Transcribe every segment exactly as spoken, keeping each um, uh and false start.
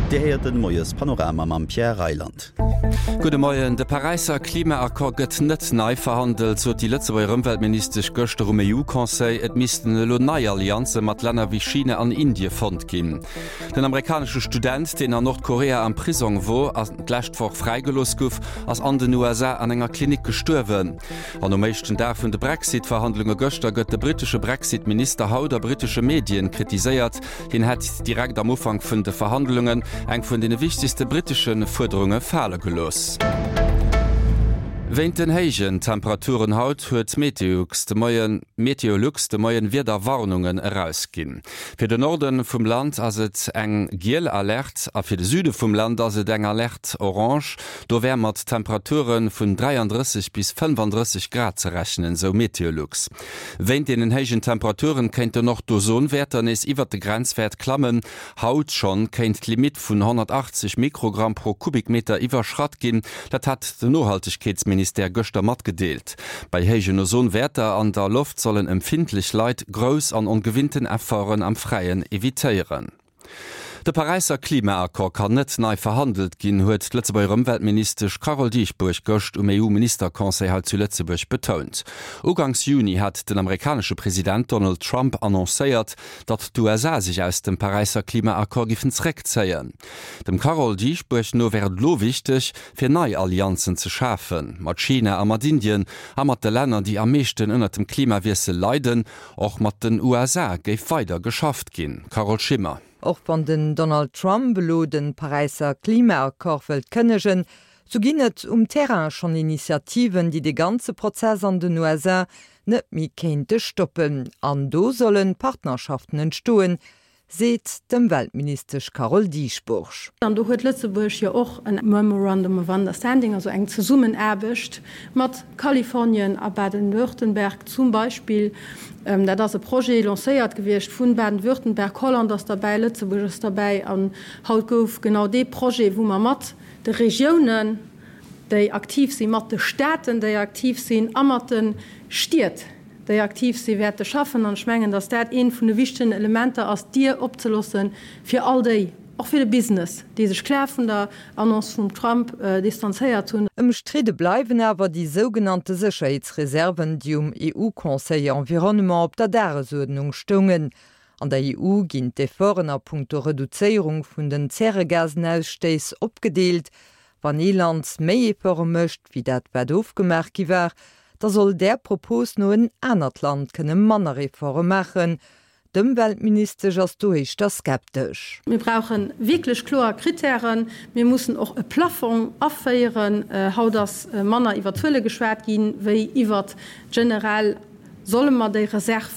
Dir héiert den Moiespanorama mam Pierre Reyland. Gudde Moien, De Paräisser Klimaaccord gëtt net nei verhandelt, sot déi Lëtzebuerger Ëmweltministesch gëschter um EU-Conseil. Et missten elo nei Allianze mat Länner wéi China an Indie fonnt ginn. Den amerikanesche Student, deen an Nordkorea am Prisong wor an d'lescht Woch fräigelooss gouf, ass an den USA an enger Klinik gestuerwen. An um éischten Dag vun de Brexit-Verhandlunge gëschter gëtt de brittesche Brexit-Minister haut a brittesche Medien kritiséiert, hien hätt direkt am Ufank vun de Verhandlungen eng vun deene wichtegste brittesche Fuerderunge fale gelooss. Wéint den héijen Temperaturen haut huet Meteolux de Moien Meteolux de Moien Wiederwarnungen erausginn. Fir den Norde vum Land ass et eng giel Alerte a fir de Süde vum Land ass et eng Alerte orange. Do wär mat Temperature vun dräiandrësseg bis fënnefandrësseg Grad ze rechnen, sou Meteolux. Wéint deenen héijen Temperaturen kéinten och d'Ozonwäerter nees iwwert de Grenzwäert klammen. Haut schonn kéint d'Limitt vun honnertachtzeg Mikrogramm pro Kubikmeter iwwerschratt ginn. Dat hat den Nohaltegkeetsministère gëschter matgedeelt. Bei héijen Ozonwäerter an der Loft sollen empfindlech Leit grouss an ongewinnten Efforten am Fräien evitéieren. De Paräisser Klimaaccord kann net nei verhandelt ginn, huet d'Lëtzebuerger Ëmweltministesch Carole Dieschbourg gëscht um EU-Ministerconseil hei zu Lëtzebuerg betount. Uganks Juni hat den amerikanesche President Donald Trump annoncéiert, datt d'USA sech aus dem Paräisser Klimaaccord giffen zeréckzéien. Dem Carole Dieschbourg no wär et elo wichteg, fir nei Allianzen ze schafen, mat China a mat Indien a mat de Länner, déi am meeschten ënnert dem Klimawiessel leiden. Och mat den USA géif weider geschafft ginn. Carole Schimmer. Och wann den Donald Trump elo de Paräisser Klimaaccord wëllt kënnegen, sou ginn et um Terrain schonn Initiativen, déi de ganze Prozess an den USA net méi kéinte stoppen. An do solle Partnerschaften entstoen, seet d'Ëmweltministesch Carole Dieschbourg. An do huet Lëtzebuerg jo och en Memorandum of Understanding, also eng Zesummenaarbecht mat Kalifornien a Baden-Württemberg zum Beispill. Dat ass e Projet, lancéiert gewiescht vun Baden-Württemberg, Holland ass derbäi, Lëtzebuerg ass derbäi. An haut gouf genau dee Projet, wou mer mat de Regiounen, déi aktiv sinn, mat de Staaten, déi aktiv sinn, a mat de Stied, déi aktiv sinn, wäerte schaffen. An ech mengen, dass dat eent vun de wichtegen Elementer ass, d'Dier opzeloosse fir all déi, och fir de Business, déi sech kloer vun der Annonce vum Trump distanzéiert hunn. Ëmstridde bleiwen awer déi sougenannte Sécherheetsreserven, déi um EU-Conseil Environnement op der Dagesuerdnung stoungen. An der EU ginn d'Efforten a punkto Reduzéierung vun den Zäregasenausstéiss opgedeelt. Wann ee Land méi Efforte mécht, wéi dat wat ofgemaach gi war, da soll där Propos no en anert Land kënne manner Efforte maachen. D'Ëmweltministesch ass do éischter skeptesch. Mir brauche wierklech kloer Krittären. Mir mussen och e Plafong aféieren. Haut ass manner iwwer Zuele geschwat ginn, wéi iwwer generell, Solle mer déi Reserv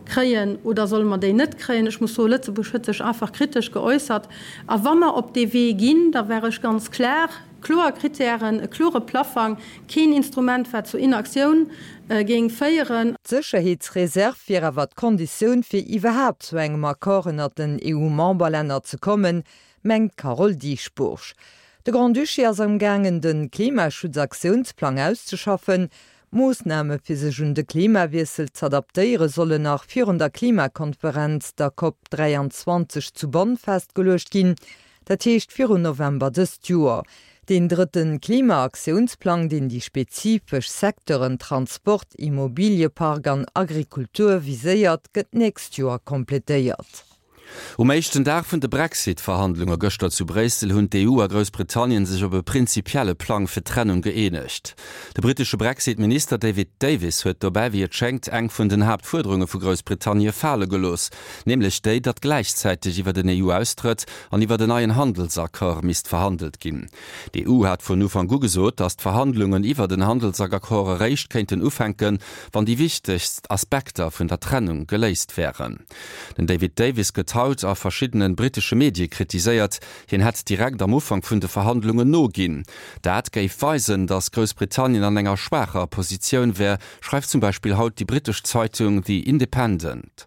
kréien oder solle mer déi net kréien? Ech muss soen, Lëtzebuerg huet sech einfach kritesch geäussert. A wa mer op dee Wee ginn, da wär ech ganz klar, Kloer Krittären, e klore Plaffang, keen Instrument, wat zu Inaktioun géing féieren. D'Sécherheetsreserv wier awer d'Konditioun, fir iwwerhaapt zu engem Accord ënnert den EU-Memberlänner ze kommen, mengt d'Carole Dieschbourg. De Grand-Duché ass amgaangen, de Klimaschutzaktiounsplang auszeschaffen. Moossname fir sech un de Klimawiessel z'adaptéiere sollen nach virun der Klimakonferenz, der Cop dräianzwanzeg zu Bonn festgeluecht ginn. Dat heescht virun November dëst Joer. Deen drëtte Klimaaktiounsplang, deen déi spezifesch Secteuren Transport, Immobiliepark an Agrikultur viséiert, gëtt d'nächst Joer kompletéiert. Um éischten Dag vun de Brexit-Verhandlunge gëschter zu Bréissel hunn d'EU a Groussbritannien sech op e prinzipielle Plang fir d'Trennung gëeenegt. De brittesche Brexit-Minister David Davis huet dobäi, wéi et schéngt, eng vun den Haaptfuerderunge vu Groussbritannie fale gelooss, nämlech déi, datt gläichzäiteg iwwer den EU-Austrëtt an iwwer en neien Handelsaccord misst verhandelt ginn. D'EU hat vun Ufank u gesot, datt d'Verhandlungen iwwer den Handelsaccord eréischt kéinten ufänken, wann déi wichtegst Aspekter vun der Trennung geléist wären. Den David Davis gëtt haut a verschiddene brittesche Medie kritiséiert, hien hätt direkt am Ufank vun de Verhandlungen noginn. Dat géif weisen, datt Groussbritannien an enger schwaacher Positioun wär, schreift zum Beispill haut déi brittesch Zeitung The Independent.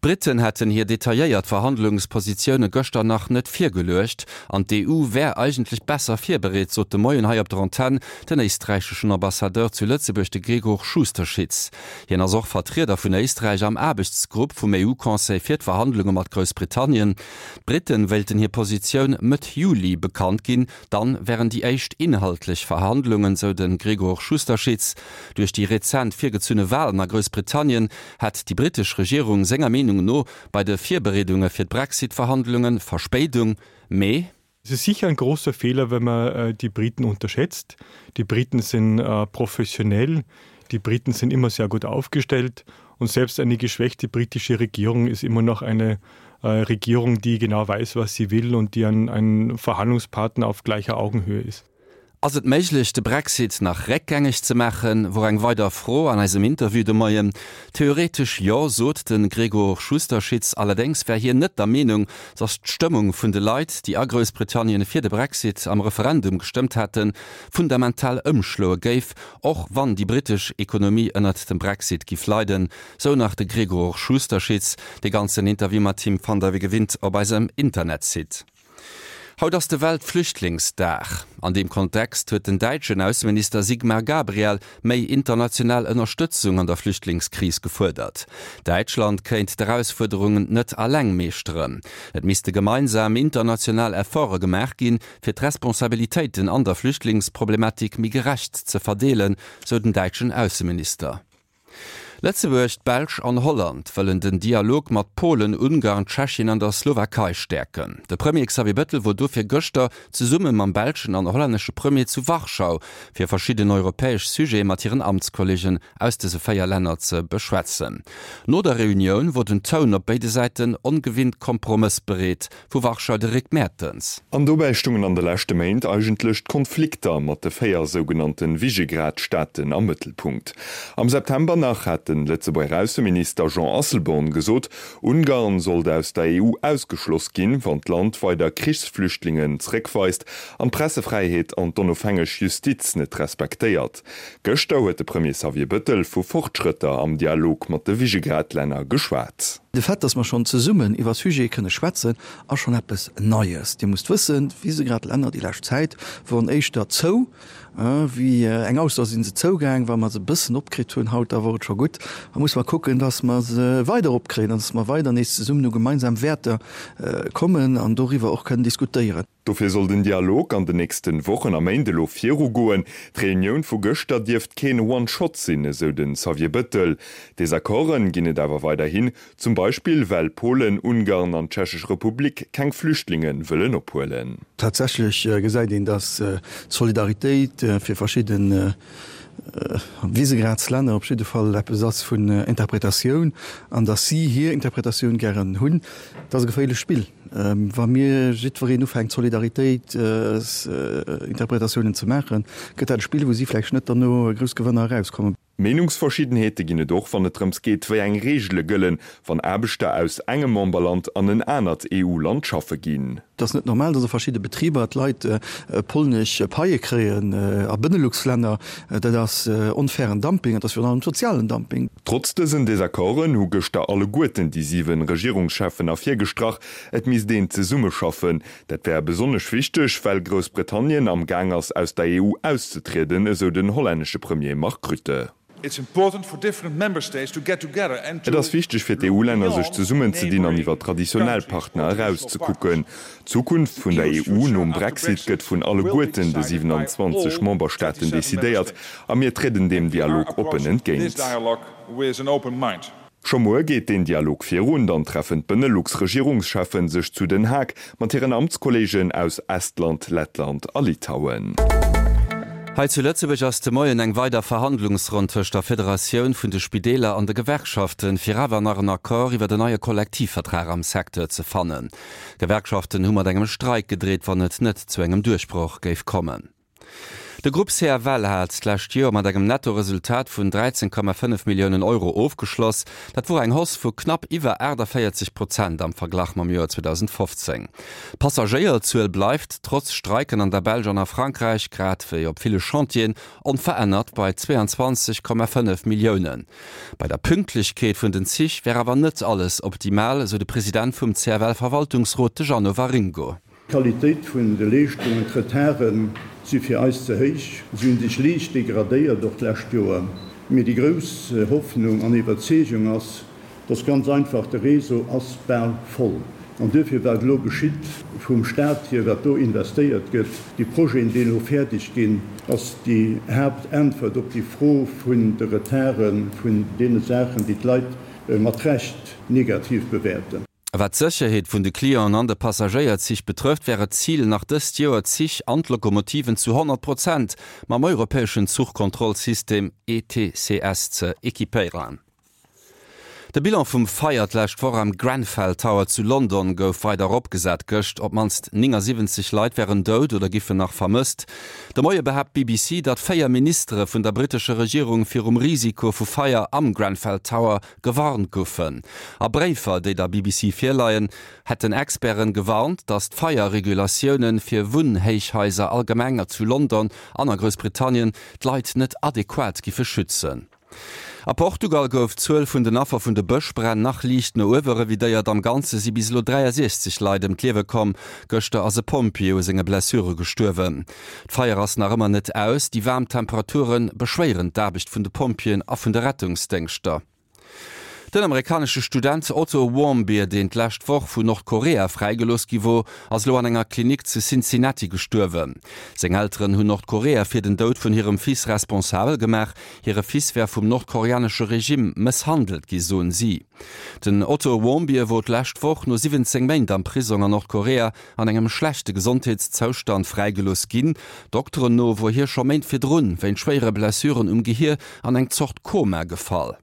D'Britten hätten hir detailléiert Verhandlungspositioune gëschter nach net virgeluecht an d'EU wär eigentlech besser virbereet, sot de Moien hei op der Antenn den éisträicheschen Ambassadeur zu Lëtzebuerg, de Gregor Schusterschitz. Hien ass och Vertrieder vun Éisträich am Aarbechtsgrupp vum EU-Conseil fir d'Verhandlunge mat Groussbritannien. D'Britten wéilten hir Positioun Mëtt Juli bekannt ginn, dann wären déi éischt inhaltlech Verhandlungen, sou de Gregor Schusterschitz. Duerch déi rezent virgezunne Walen a Groussbritannien hätt déi brittesch Regierung senger Meenung no bei de Virbereedunge fir d'Brexit-Verhandlunge Verspéidung, mee. Es ist sicher ein großer Fehler, wenn man äh, die Briten unterschätzt. Die Briten sind äh, professionell, die Briten sind immer sehr gut aufgestellt und selbst eine geschwächte britische Regierung ist immer noch eine äh, Regierung, die genau weiß, was sie will und die ein, ein Verhandlungspartner auf gleicher Augenhöhe ist. Ass et méiglech, de Brexit nach réckgängeg ze maachen, wor eng weider Fro an eisem Interview de Moien. Theoretesch jo, sot de Gregor Schusterschitz. Allerdéngs wär hien net der Meenung, datt d'Stëmmung vun de Leit, déi a Groussbritannien fir de Brexit am Referendum gestëmmt hätten, fundamental ëmschloe géif, och wann déi brittesch Ekonomie ënnert dem Brexit giff leiden, sou nach de Gregor Schusterschitz. De ganzen Interview mat him fannt der wéi gewinnt op eisem Internetsite. Haut ass de Weltflüchtlingsdag. An deem Kontext huet den däitschen Ausseminister Sigmar Gabriel méi international Ënnerstëtzung an der Flüchtlingskris gefuerdert. Däitschland kéint d'Erausfuerderungen net alleng meeschteren. Et misste gemeinsam international Efforte gemaach ginn, fir d'Responsabilitéiten an der Flüchtlingsproblematik méi gerecht ze verdeelen, sou den däitschen Ausseminister. Lëtzebuerg, d'Belsch an Holland wëllen den Dialog mat Polen, Ungarn, Tschechien an der Slowakei stäerken. De Premier Xavier Bettel wor dofir gëschter zesumme mam belschen an hollännesche Premier zu Warschau, fir verschidden europäesch Sujete mat hiren Amtskolleegen aus dëse véier Länner ze beschwätzen. No der Reunioun wor den Toun op béide Säiten ongewinnt kompromëssbereet. Vu Warschau de Rick Mertens. An dobäi stungen an de leschte Méint eigentlech d'Konflikter mat de véier sougenannte Visegrad-Staaten am Mëttelpunkt. Am September nach hat de Lëtzebuerger Ausseminister Jean Asselborn gesot, Ungarn sollt aus der E U ausgeschloss ginn, wann d'Land weider Krichsflüchtlingen zeréckweist an d'Pressefräiheet an d'onofhängeg Justiz net respektéiert. Gëschter huet de Premier Xavier Bettel vu Fortschrëtter am Dialog mat de Visegrad-Länner geschwat. De Fait, dass mer schonn zesummen iwwer Sujete kënne schwätzen, ass schonn eppes Neies. Dir musst wëssen, d'Visegrad-Länner déi lescht Zäit woren éischter zou wéi eng Auster si se zougaang. Wa mer se e bëssen opkritt hunn haut, da wor et scho gutt. Da muss mer kucken, dass mer se weider opkréien an dass mer weider nees zesummen u gemeinsam Wäerter kommen an doriwwer och kënnen diskutéieren. Dofir soll den Dialog an den nächsten Wochen a Méint elo virugoen. D'Reunioun vu gëschter dierft keen One-Shot sinn, esou den Xavier Bettel. Desaccorden ginn et awer weiderhin, zum Beispill well Polen, Ungarn an d'Tschechesch Republik keng Flüchtlinge wëllen ophuelen. Tatsächlech gesäit een, datt d'Solidaritéit fir verschidde Visegradslänner op jidde Fall eppes ass vun Interpretatioun an datt si hir Interpretatioun gären hunn. Dat ass e geféierlecht Spill. Wa mir jiddwereen ufänkt Solidaritéitsinterpretatiounen ze maachen, gëtt dat e Spill, wou si vläicht net derno grouss Gewënner erauskommen. Meenungsverschiddenheete ginn et och, wann et drëms geet, wéi eng Reegele gëllen, wann Aarbechter aus engem Memberland an en anert E U-Land schaffe ginn. Et ass net normal, datt a verschidde Betriber d'Leit polnesch Paie kréien a Benelux-Länner. Dat ass onfairen Dumping, et ass virun allem sozialen Dumping. Trotz dësen Desaccorden hu gëschter alleguerten déi siwen Regierungscheffen ervirgestrach, et misst een zesummeschaffen. Dat wär besonnesch wichteg, well Groussbritannien am Gaang ass, aus der E U auszetrieden, esou den hollännesche Premier Mark Rutte. It's important for different member states to get together and to Et ass wichteg fir d'E U-Länner sech zesummenzedinn an iwwer traditionell Partner erauszekucken. D'Zukunft vun der E U nom Brexit gëtt vun alleguerten de siwenanzwanzeg Memberstaaten decidéiert a mir trieden deem Dialog oppen entgéint. Scho muer geet deen Dialog virun, dann treffen d'Benelux-Regierungscheffen sech zu Den Haag mat hiren Amtskolleegen aus Estland, Lettland a Litauen. Hei zu Lëtzebuerg ass de Moien eng weider Verhandlungsronn tëscht der Federatioun vun de Spideeler an de Gewerkschaften, fir awer nach en Accord iwwer en neie Kollektivvertrag am Secteur ze fannen. D'Gewerkschaften hu mat engem Streik gedreet, wann et net zu engem Duerchbroch géif kommen. De Grupp C F L hat d'lescht Joer mat engem Nettoresultat vun dräizéng Komma fënnef Milliounen Euro ofgeschloss. Dat wor eng Hausse vu knapp iwwer aachtavéierzeg Prozent am Verglach mam Joer zweedausendfofzéng. D'Passagéierzuel bleift trotz Streiken an der Belsch an a Frankräich, grad wéi op ville Chantieren, onverännert bei zweiundzwanzeg Komma fënnef Milliounen. Bei der Pünktlechkeet vun den Zich wär awer net alles optimal, sou de President vum C F L-Verwaltungsrot, de Jeannot Waringo. D'Qualitéit vun de Leeschtungen, d'Retarde si fir eis ze héich, si hunn sech liicht degradéiert och d'lescht Joer. Mee déi grouss Hoffnung an Iwwerzeegung ass, dass ganz einfach de Réseau ass bal voll. An duerfir wat elo geschitt vum Staat hier, wat do investéiert gëtt, déi Projeten, déi elo fäerdeg ginn, ass déi Haaptäntwert op déi Fro vun de Retarden, vun deene Saachen, déi d'Leit mat Recht negativ bewäerten. Wat d'Sécherheet vun de Clienten an de Passagéierzich betrëfft, wär et d'Zil, nach dëst Joer d'Zich an d'Lokomotiven zu honnert Prozent mam europäeschen Zuchkontrollsystem E T C S ze equipéieren. De Bilan vum Feier d'lescht Woch am Grenfell Tower zu London gouf weider eropgesat gëscht. Op d'mannst néngasiwwenzeg Leit wären dout oder giffen nach vermësst. De Moie behaapt d'B B C, datt véier Ministere vun der brittescher Regierung virum Risiko vu Feier am Grenfell Tower gewarnt goufen. A Bréifer, déi der B B C virleien, hätten Experten gewarnt, datt d'Feierregulatioune fir Wunnhéichhaiser allgemeng zu London an a Groussbritannien d'Leit net adequat giffe schützen. A Portugal gouf d'Zuel vun den Affer vun de Bëschbränn nach liicht no uewe revidéiert. Am Ganze si bis elo dräiasiechzeg Leit ëm d'Liewe komm. Gëschter ass e Pompjee u senge Blessure gestuerwen. D'Feier ass nach ëmmer net aus. Déi waarm Temperature beschwéieren d'Aarbecht vun de Pompjeeën a vun de Rettungsdéngschter. Den amerikanesche Student Otto Warmbier, deen d'lescht Woch vun Nordkorea fräigelooss gi wor, ass elo an enger Klinik zu Cincinnati gestuerwen. Seng Elteren hunn Nordkorea fir den Doud vun hirem Fils responsabel gemaach. Hire Fils wär vum nordkoreanesche Regime mësshandelt gi, soen si. Den Otto Warmbier wor d'lescht Woch no siwwenzéng Méint am Prisong an Nordkorea an engem schlechte Gesondheetszoustand fräigelooss ginn. Dokteren no wor hie scho Méint virdrun wéinst schwéiere Blessuren um Gehier an eng Zort Koma gefall.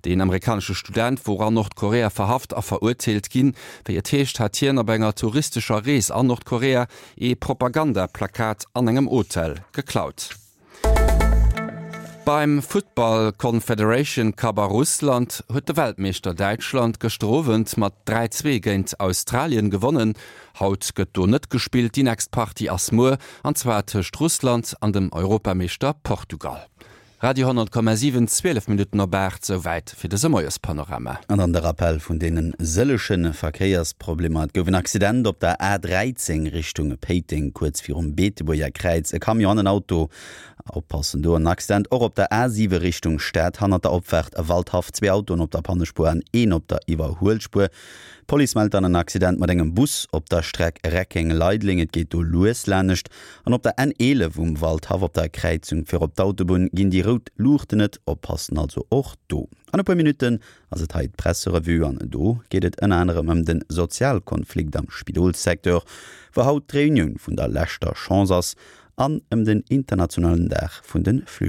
Den amerikanesche Student wor an Nordkorea verhaft a verurteelt ginn. Wéi et heescht, hat hien op enger touristescher Rees an Nordkorea ee Propagandaplakat an engem Hotel geklaut. Beim Futtball Confederation Cup a Russland huet de Weltmeeschter Däitschland gëschter Owend mat dräi zwee géint Australien gewonnen. Haut gëtt do net gespillt, déi nächst Partie ass muer, an zwar tëscht Russland an dem Europameeschter Portugal. Radio honnert Komma siwen, zwielef Minutten op aacht, souwäit fir dëse Moiespanorama. An dann de Rappel vun deene sëllege Verkéiersproblemer. Et gouf en Accident op der A dräizéng Richtung Péiteng, kuerz virum Beetebuerger Kräiz. E Camion an en Auto. Oppassen do. En Accident och op der A siwe Richtung Stad, hannert der Opfaart Waldhaff, zwee Autoen op der Pannespuer an een op der Iwwerhuelspuer. D'Police mellt dann en Accident mat engem Bus op der Streck Reckeng-Leideleng. Et geet do lues lanescht. An op der N eelef um Waldhaff op der Kräizung fir op d'Autobunn ginn déi rout Luuchten net. Oppassen also och do. An e puer Minutten ass et hei d'Presserevue an do geet et ënner anerem ëm de Sozialkonflikt am Spidolssecteur, wou haut d'Reunioun vun der leschter Chance ass, an ëm den internationalen Dag vun de Flüchtlingen.